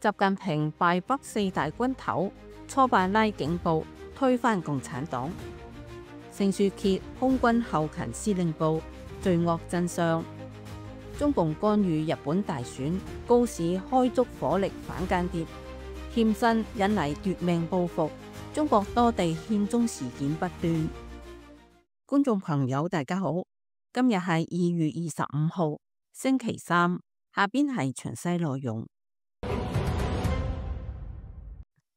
習近平敗北四大軍頭，挫敗拉警部，推翻共產黨。盛書揭空軍後勤司令部罪惡真相。中共干預日本大選，高市開足火力反間諜，欠薪引嚟奪命報復。中國多地獻中事件不斷。觀眾朋友大家好，今日係2月25號星期三，下邊係詳細內容。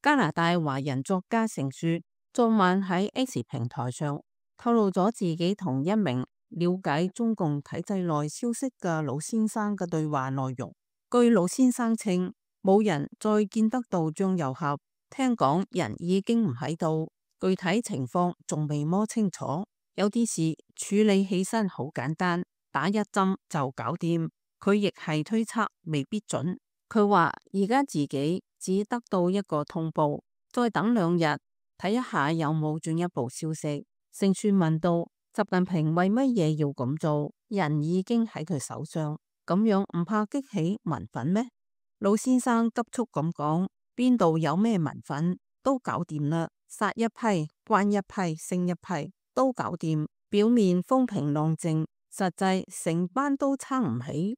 加拿大華人作家盛書昨晚喺 X 平台上透露咗自己同一名了解中共體制內消息嘅老先生嘅對話內容。據老先生稱，冇人再見得到張又俠，聽講人已經唔喺度，具體情況仲未摸清楚。有啲事處理起身好簡單，打一針就搞掂。佢亦係推測，未必準。佢話而家自己只得到一個通報，再等2日睇一下有冇進一步消息。盛書問到習近平為乜嘢要咁做？人已經喺佢手上，咁樣唔怕激起民憤咩？老先生急速咁講，邊度有咩民憤，都搞掂啦，殺一批關一批升一批都搞掂。表面風平浪靜，實際成班都撐唔起。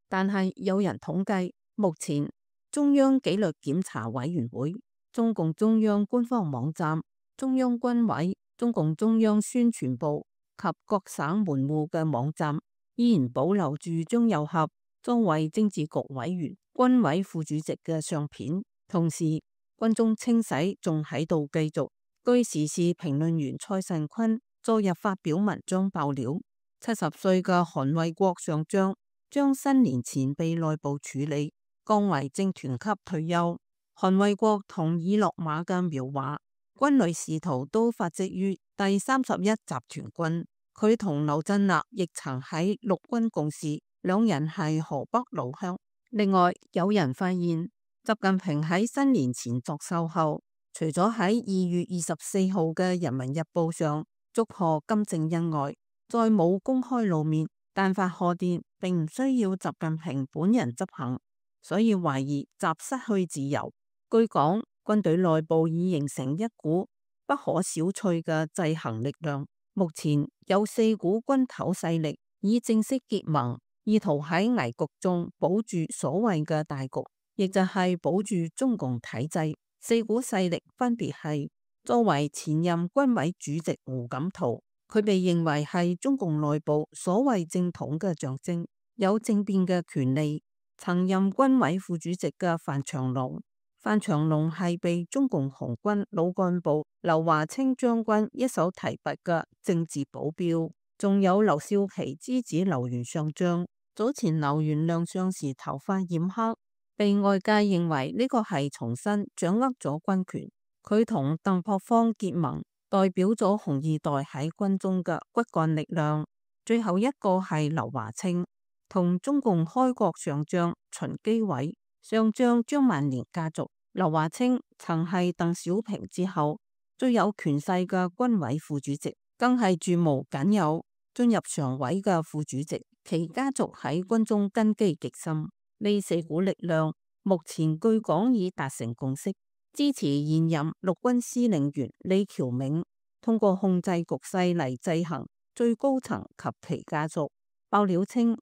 但係有人統計，目前中央紀律檢查委員會、中共中央官方網站、中央軍委、中共中央宣傳部及各省門戶嘅網站依然保留住張又俠作為政治局委員、軍委副主席嘅相片。同時軍中清洗仲喺度繼續。據時事評論員蔡慎坤昨日發表文章爆料，70歲嘅韓衛國上將將新年前被內部處理，降為政團級退休。韓衛國同已落馬嘅苗華軍旅仕途都發跡於第31集團軍，佢同劉振立亦曾喺陸軍共事，兩人係河北老鄉。另外有人發現，習近平喺新年前作秀後，除咗喺2月24號嘅《人民日報》上祝賀金正恩外，再冇公開露面。但發賀電並唔需要習近平本人執行，所以懷疑習失去自由。據講，軍隊內部已形成一股不可小覷嘅制衡力量。目前有4股軍頭勢力已正式結盟，意圖喺危局中保住所謂嘅大局，亦就係保住中共體制。4股勢力分別係：作為前任軍委主席胡錦濤，佢被認為係中共內部所謂正統嘅象徵，有政變嘅權利。曾任軍委副主席嘅范長龍，范長龍係被中共紅軍老幹部劉華清將軍一手提拔嘅政治保鏢。仲有劉少奇之子劉元上將，早前劉元亮相時頭髮染黑，被外界認為呢個係重新掌握咗軍權。佢同鄧樸方結盟，代表咗紅二代喺軍中嘅骨幹力量。最後一個係劉華清，同中共開國上將秦基偉、上將張萬年家族。劉華清曾係鄧小平之後最有權勢嘅軍委副主席，更係駐無僅有進入常委嘅副主席。其家族喺軍中根基極深。呢4股力量目前據講已達成共識，支持現任陸軍司令員李喬銘通過控制局勢嚟制衡最高層及其家族。爆料稱，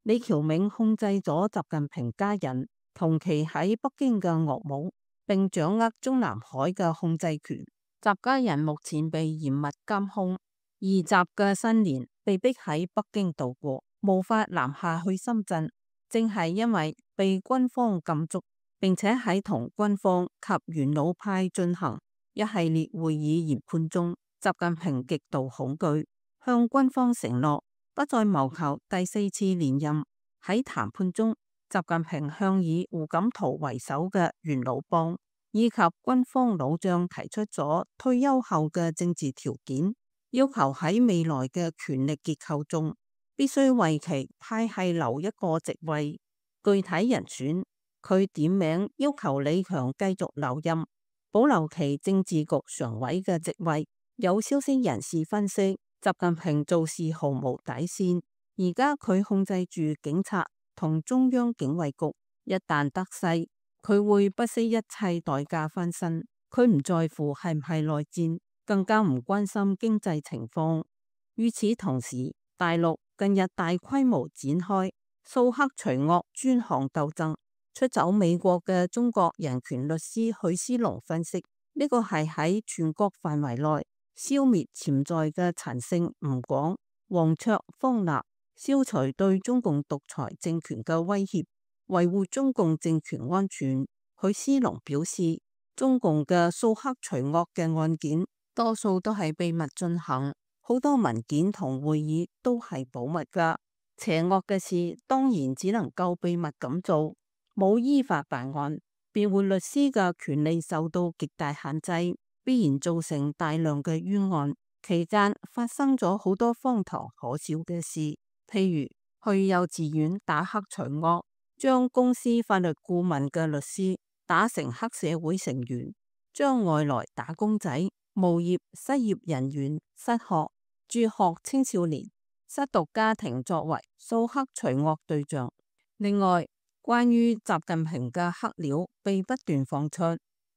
李喬銘控制咗習近平家人同期喺北京嘅岳母，並掌握中南海嘅控制權。習家人目前被嚴密監控，而習嘅新年被逼喺北京度過，無法南下去深圳，正係因為被軍方禁足，並且喺同軍方及元老派進行一系列會議研判中，習近平極度恐懼，向軍方承諾不再謀求第4次連任。喺談判中，習近平向以胡錦濤為首嘅元老幫以及軍方老將提出咗退休後嘅政治條件，要求喺未來嘅權力結構中必須為其派系留一個席位。具體人選，佢點名要求李強繼續留任，保留其政治局常委嘅席位。有消息人士分析，習近平做事毫無底線，而家佢控制住警察同中央警衛局，一旦得勢，佢會不惜一切代價翻身，佢唔在乎係唔係內戰，更加唔關心經濟情況。與此同時，大陸近日大規模展開掃黑除惡專項鬥爭。出走美國嘅中國人權律師許思龍分析，呢個係喺全國範圍內消滅潛在嘅陳姓吳廣、黃卓、方立，消除對中共獨裁政權嘅威脅，維護中共政權安全。許思龍表示，中共嘅掃黑除惡嘅案件多數都係秘密進行，好多文件同會議都係保密㗎。邪惡嘅事當然只能夠秘密咁做，冇依法辦案，辯護律師嘅權利受到極大限制，必然造成大量嘅冤案。期間發生咗好多荒唐可笑嘅事，譬如去幼稚園打黑除惡，將公司法律顧問嘅律師打成黑社會成員，將外來打工仔、無業失業人員、失學、輟學青少年、失獨家庭作為掃黑除惡對象。另外，關於習近平嘅黑料被不斷放出。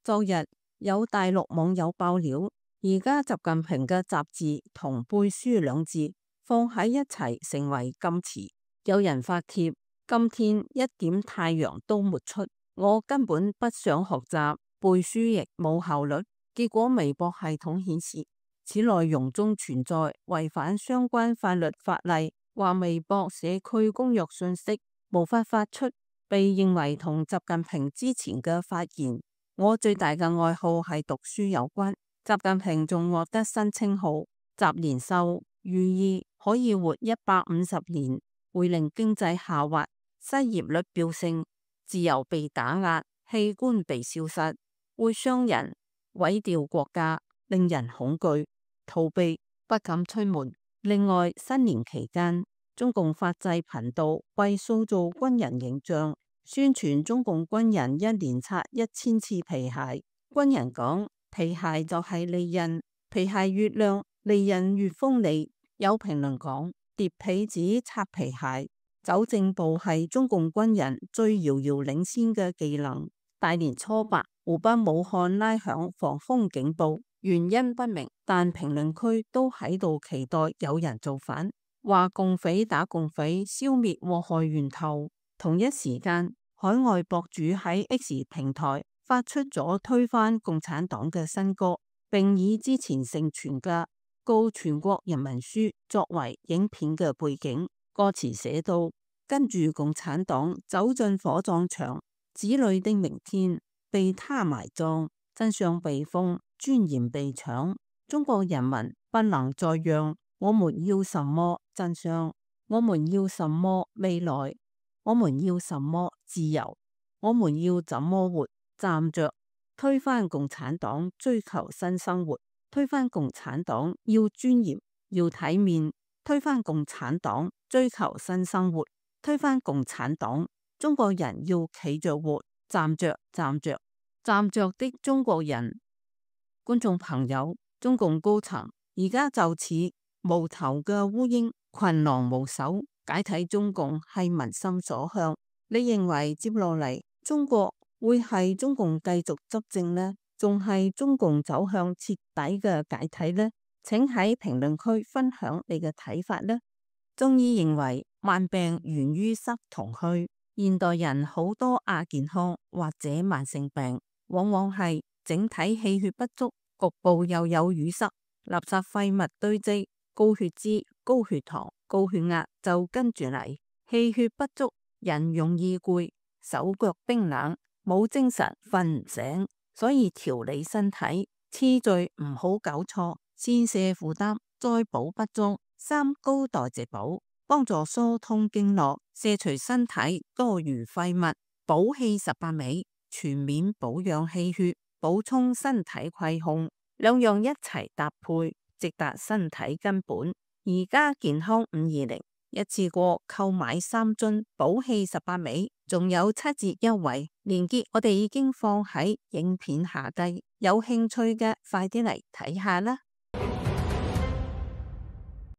昨日有大陸網友爆料，而家習近平嘅雜誌同背書兩字放喺一齊成為禁詞。有人發帖，今天一點太陽都沒出，我根本不想學習，背書亦冇效率。結果微博系統顯示，此內容中存在違反相關法律法例，話微博社區公約信息無法發出，被認為同習近平之前嘅發言我最大嘅愛好係讀書有關。習近平仲獲得新稱號習年獸，寓意可以活150年，會令經濟下滑，失業率飆升，自由被打壓，器官被消失，會傷人，毀掉國家，令人恐懼、逃避、不敢出門。另外，新年期間，中共法制頻道為塑造軍人形象，宣傳中共軍人一年擦1000次皮鞋。軍人講，皮鞋就係利刃，皮鞋越亮，利刃越鋒利。有評論講，疊被子擦皮鞋，走正步係中共軍人最遙遙領先嘅技能。大年初8，湖北武漢拉響防風警報，原因不明，但評論區都喺度期待有人造反，話共匪打共匪，消滅禍害源頭。同一時間，海外博主喺 X 平台發出咗推翻共產黨嘅新歌，並以之前盛傳嘅告全國人民書作為影片嘅背景。歌詞寫到：跟住共產黨走進火葬場，子女的明天被他埋葬，真相被封，尊嚴被搶。中國人民不能再讓，我們要什麼真相？我們要什麼未來？我們要什麼自由？我們要怎麼活？站着推翻共產黨，追求新生活。推翻共產黨要尊嚴，要體面。推翻共產黨，追求新生活。推翻共產黨，中國人要企着活，站着，站着，站着的中國人。觀眾朋友，中共高層而家就似無頭嘅烏蠅，群狼無首，解體中共係民心所向。你認為接落嚟中國會係中共繼續執政呢，仲係中共走向徹底嘅解體呢？請喺評論區分享你嘅睇法呢。中醫認為慢病源於濕同虛，現代人好多亞健康或者慢性病，往往係整體氣血不足，局部又有淤塞，垃圾廢物堆積，高血脂、高血糖、高血壓就跟住嚟。氣血不足，人容易攰，手腳冰冷，冇精神，瞓唔醒。所以調理身體次序唔好搞錯，先瀉負擔，再補不足。三高代謝補，幫助疏通經絡，卸除身體多餘廢物。補氣18味，全面保養氣血，補充身體虧空，兩樣一齊搭配，直達身體根本。而家健康520，一次過購買3樽補氣18味，仲有7折優惠，鏈接我哋已經放喺影片下低，有興趣嘅快啲嚟睇下啦。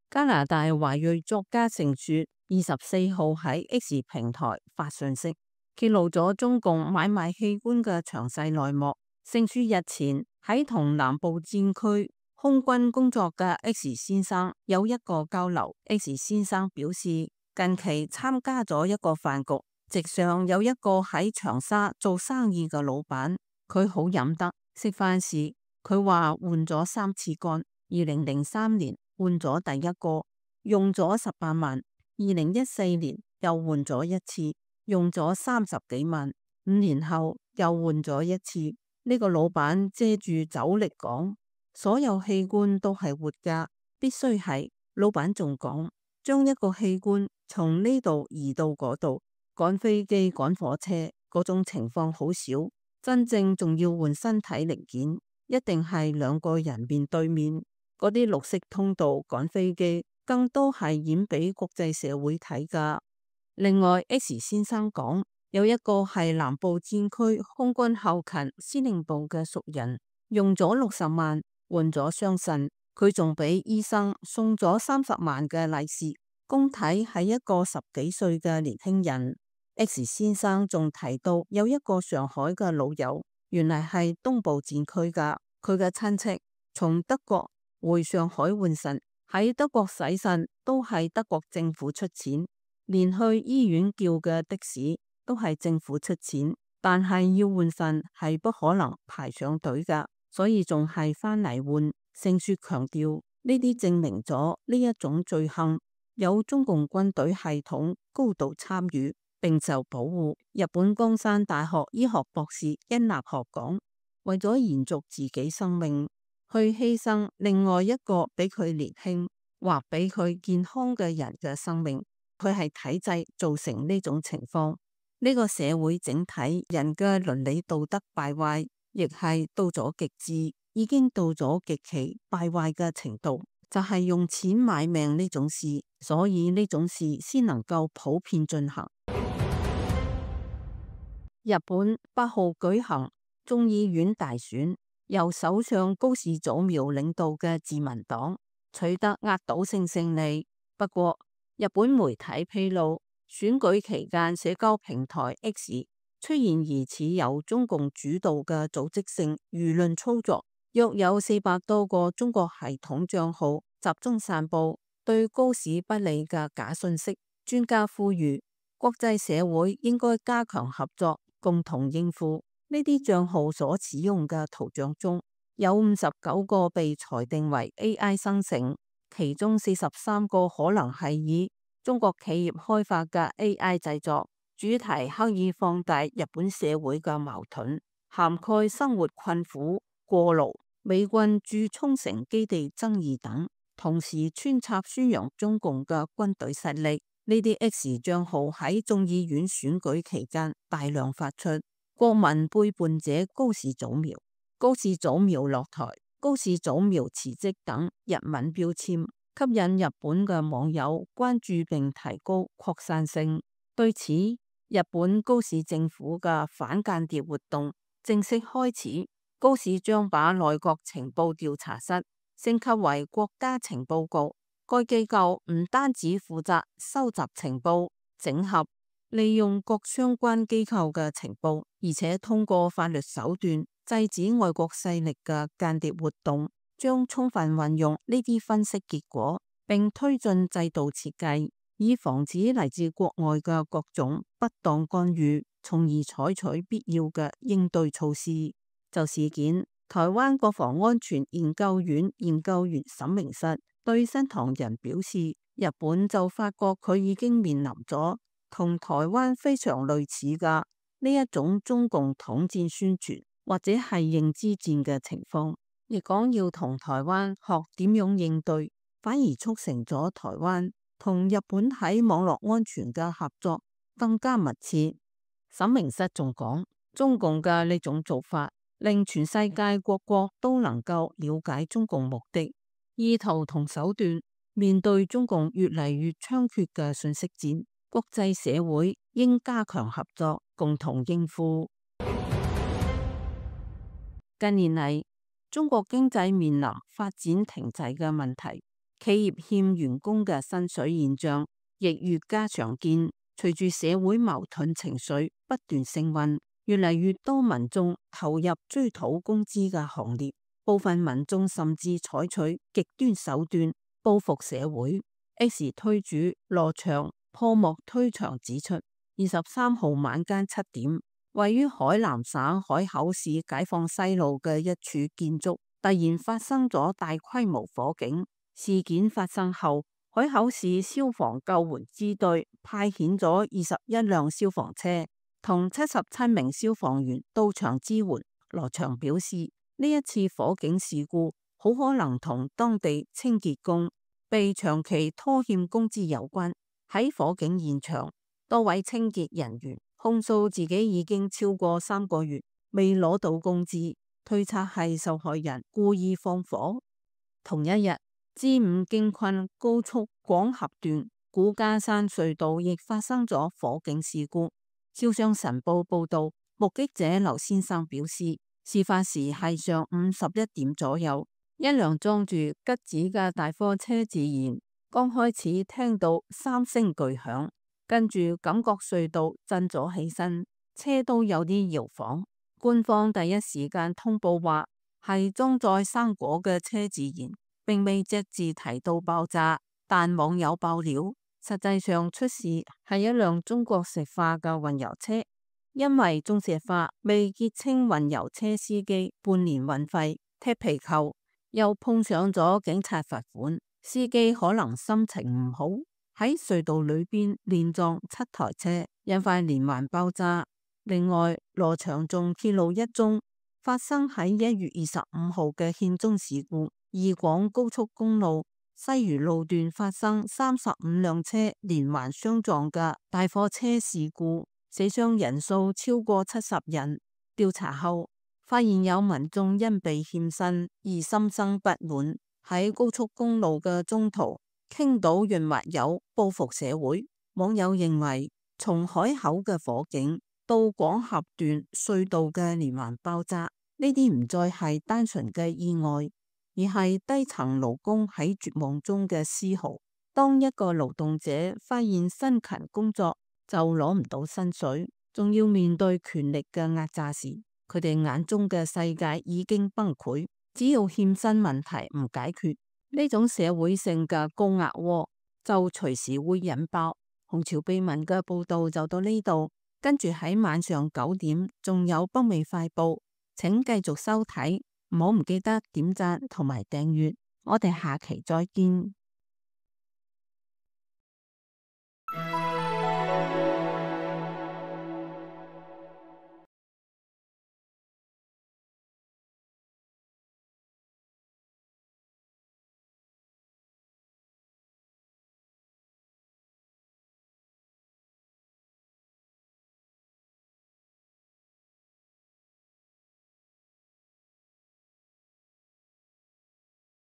加拿大華裔作家盛雪24號喺 X 平台發信息，揭露咗中共買賣器官嘅詳細內幕。盛書日前喺同南部戰區空軍工作嘅 X 先生有一個交流。X 先生表示，近期參加咗一個飯局，席上有一個喺長沙做生意嘅老闆，佢好飲得。食飯時佢話換咗3次肝，2003年換咗第一個，用咗18萬；2014年又換咗1次，用咗30幾萬；5年後又換咗1次。呢個老闆借住酒力講，所有器官都係活㗎，必須係。老闆仲講，將一個器官從呢度移到嗰度，趕飛機趕火車嗰種情況好少，真正仲要換身體零件，一定係2個人面對面。嗰啲綠色通道趕飛機，更多係演俾國際社會睇㗎。另外 X 先生講，有一個係南部戰區空軍後勤司令部嘅熟人，用咗60萬換咗雙腎，佢仲俾醫生送咗30萬嘅利是，公體係一個10幾歲嘅年輕人。X 先生仲提到有一個上海嘅老友，原來係東部戰區㗎，佢嘅親戚從德國回上海換腎，喺德國洗腎都係德國政府出錢，連去醫院叫嘅的士都係政府出錢，但係要換腎係不可能排上隊㗎，所以仲係返嚟換。盛書強調，呢啲證明咗呢一種罪行有中共軍隊系統高度參與並受保護。日本江山大學醫學博士殷立學講，為咗延續自己生命，去犧牲另外一個比佢年輕或比佢健康嘅人嘅生命，佢係體制造成呢種情況。呢個社會整體人嘅倫理道德敗壞，亦係到咗極致，已經到咗極其敗壞嘅程度，就係用錢買命呢種事，所以呢種事先能夠普遍進行。日本8號舉行眾議院大選，由首相高市早苗領導嘅自民黨取得壓倒性勝利。不過，日本媒體披露，選舉期間社交平台 X 出現疑似由中共主導嘅組織性輿論操作，約有400多個中國系統賬號集中散布對高市不利嘅假信息。專家呼籲國際社會應該加強合作，共同應付。呢啲賬號所使用嘅圖像中有59個被裁定為 AI 生成，其中43個可能係以中國企業開發嘅 AI 製作，主題刻意放大日本社會嘅矛盾，涵蓋生活困苦、過勞、美軍駐沖繩基地爭議等，同時穿插宣揚中共嘅軍隊實力。呢啲 X 賬號喺眾議院選舉期間大量發出，國民背叛者高市早苗、高市早苗落台、高市早苗辭職等日文標籤，吸引日本嘅網友關注並提高擴散性。對此，日本高市政府嘅反間諜活動正式開始。高市將把內閣情報調查室升級為國家情報局，該機構唔單止負責收集情報、整合、利用各相關機構嘅情報，而且通過法律手段制止外國勢力嘅間諜活動，將充分運用呢啲分析結果，並推進制度設計，以防止嚟自國外嘅各種不當干預，從而採取必要嘅應對措施。就事件，台灣國防安全研究院研究員沈明室對新唐人表示，日本就發覺佢已經面臨咗同台灣非常類似嘅呢一種中共統戰宣傳或者係認知戰嘅情況，亦講要同台灣學點樣應對，反而促成咗台灣同日本喺網絡安全嘅合作更加密切。沈明室仲講，中共嘅呢種做法令全世界各國都能夠了解中共目的、意圖同手段。面對中共越嚟越猖獗嘅信息戰，國際社會應加強合作，共同應付。近年嚟，中國經濟面臨發展停滯嘅問題，企業欠員工嘅薪水現象亦越加常見。隨住社會矛盾情緒不斷升溫，越嚟越多民眾投入追討工資嘅行列，部分民眾甚至採取極端手段報復社會。X 推主羅翔破幕推牆指出，23號晚間7點，位於海南省海口市解放西路嘅一處建築突然發生咗大規模火警。事件發生後，海口市消防救援支隊派遣咗21輛消防車同77名消防員到場支援。羅翔表示，呢一次火警事故好可能同當地清潔工被長期拖欠工資有關。喺火警現場，多位清潔人員控訴自己已經超過3個月未攞到工資，推測係受害人故意放火。同一日，G5京昆高速廣峽段古家山隧道亦發生咗火警事故。招商晨報報道，目擊者劉先生表示，事發時係上午11點左右，一輛裝住桔子嘅大貨車自燃，剛開始聽到3聲巨響，跟住感覺隧道震咗起身，車都有啲搖晃。官方第一時間通報話係裝載生果嘅車自燃，並未隻字提到爆炸，但網友爆料，實際上出事係一輛中國石化嘅運油車，因為中石化未結清運油車司機半年運費，踢皮球，又碰上咗警察罰款，司機可能心情唔好，喺隧道裏邊連撞7台車，引發連環爆炸。另外，羅翔仲揭露一宗發生喺1月25號嘅獻中事故。義廣高速公路西嶼路段發生35輛車連環相撞嘅大貨車事故，死傷人數超過70人。調查後發現有民眾因被欠薪而心生不滿，喺高速公路嘅中途傾倒潤滑油報復社會。網友認為，從海口嘅火警到廣峽段隧道嘅連環爆炸，呢啲唔再係單純嘅意外，而係低層勞工喺絕望中嘅嘶嚎。當一個勞動者發現辛勤工作就攞唔到薪水，仲要面對權力嘅壓榨時，佢哋眼中嘅世界已經崩潰。只要欠薪問題唔解決，呢種社會性嘅高壓鍋就隨時會引爆。紅潮秘聞嘅報道就到呢度，跟住喺晚上9點仲有北美快報，請繼續收睇。唔好唔記得點讚同埋訂閱，我哋下期再見。